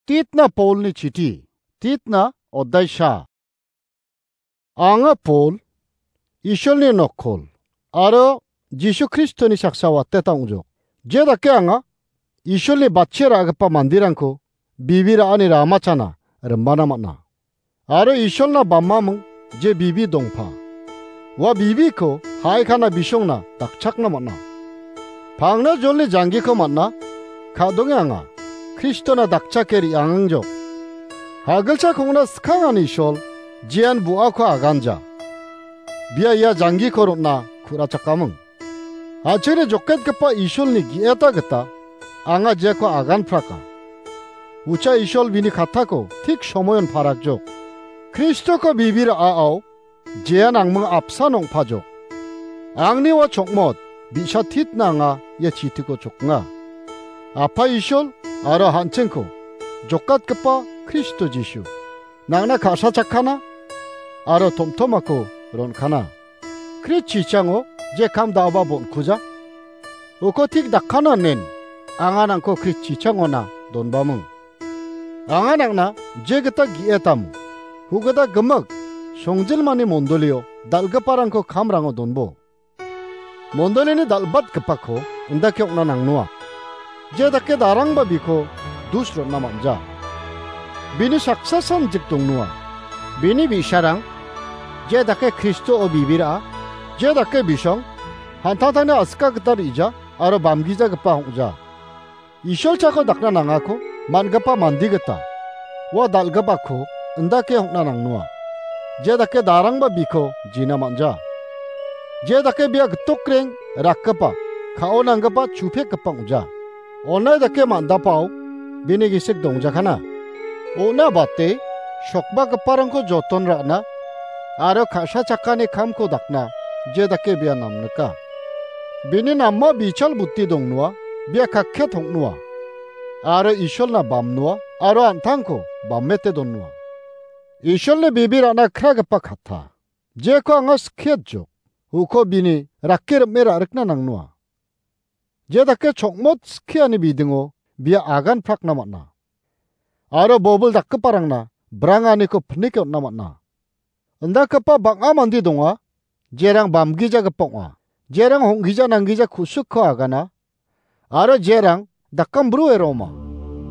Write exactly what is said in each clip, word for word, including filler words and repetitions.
Titna Paulni chiti, Titna odai sha. Anga Paul, Isolni nokkol, aro Jisu Kristoni saksa wateta ong·jok. Je dake anga Isolni batchie ra·gipa manderangko bibi ra·ani ramachana rimana man·a. Aro Isolna bamaming je bibi dongpa. Ua bibiko ha·aikana bisongna dakchakna man·a. Pangna jolni janggiko man·a, ka·donge anga Kristona dakchake re·angangjok. Hagilcha kongna skangani Isol, jean bu·ako aganja. Bia ia janggiko ron·na ku·rachakaming. An·chingni joketgipa Isolni ge·eta gita anga jeko aganpraka. Ucha Isol bini kattako tik somoion parakjok. Kristoko bibi ra·ao jean angming apsan ong·pajok. Angni ua chokmot bi·sa Titna anga ia chitiko choknga. Apa Isol aro an·chingko jokatgipa Kristo Jisu, nangna ka·sachakana aro tomtomako ron·kana. Krist chichango je kam da·oba bon·kuja. Uko tik dakana nen, anga nangko Krist chichangona donbaming. Anga nangna je gita ge·etamo, hu·gita gimik songjilmani mondolio dal·giparangko kamrango donbo. Mondolini dal·batgipako indake ong·na nangnoa. Je dake darangba biko dus ron·na man·ja. Bini saksa sanjik dongnoa. Bini bi·sarang, je dake Kristoo bibi ra·a, je dake bisong, an·tangtangni aska gita re·ja aro bamgijagipa ong·ja. Isol chako dakna nangako man·gipa mande gita ua dal·gipako indake ong·na nangnoa. Je dake darangba biko jina man·ja. Je dake bia gitokreng rakgipa, ka·o nanggipa chupekgipa ong·ja. Onai dake man·dapao bini gisik dongjakana. On·a bate sokbagiparangko joton ra·na aro ka·sachakani kamko dakna je dake bia namnika. Bini nama bichal buti dongnoa, bia kakket ong·noa. Aro Isolna bamnoa, aro an·tangko bamete donnoa. Isolni bibi ra·na kragipa katta. Jeko anga skiatjok. Uko bini rake rim·e ra·rikna nangnoa. Je dake chokmot skiani bidingo bia agan prakna man·a. Aro bobil dakgiparangna branganiko pinike on·na man·a. Indakgipa bang·a mande donga, jerang bamgijagipa ong·a. Jerang hong·gija nanggija ku·sikko agana, aro jerang dakambru ero ong·a.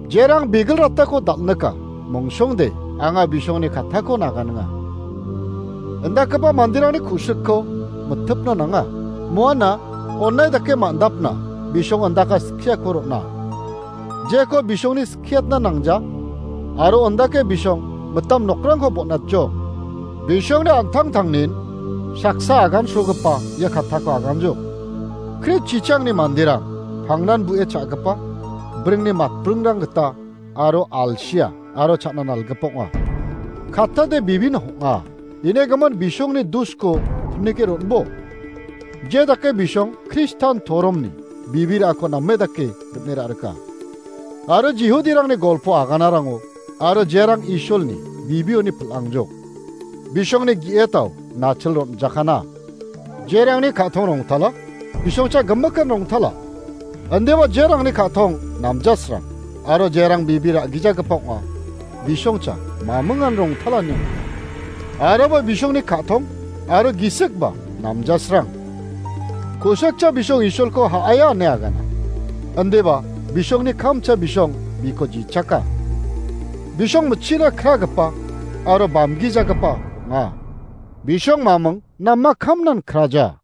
Jerang bigilratako dal·nika, mongsongde anga bisongni kattako naganinga. Indakgipa manderangni ku·sikko mitipna nanga. Muana onai dake man·dapna bisong indaka skiako ron·a. Jeko bisongni skiatna nangja, aro ondake bisong mitam nokrangko bon·atjok. Bisongni an·tangtangnin saksa agansogipa ia kattako aganjok. Krist chichangni manderang pangnan bu·e cha·gipa, bringni matbringrang gita aro alsia aro cha·na nalgipa ong·a. Kattade bibin hong·a. Inegimin bisongni dusko pinike ron·bo. Je dake bisong Kristan toromni bibirako name dake rim·e ra·rika. Aro Jihudirangni golpo aganarango aro jerang Isolni bibioni pil·angjok. Bisongni ge·etao nachil ron·jakana. Jerangni ka·tong rongtala, bisongcha gimikan rongtala. Indiba jerangni ka·tong namjasrang, aro jerang bibi ra·gijagipa ong·a, bisongcha mamingan rongtalani ong·a. Aroba bisongni ka·tong aro gisikba namjasrang. Ku·sikcha bisong Isolko ha·aia ine agana. Indiba bisongni kamcha bisong biko jichaka. Bisong mitchina kragipa aro bamgijagipa ong·a. Bisong maming nama kamnan kraja.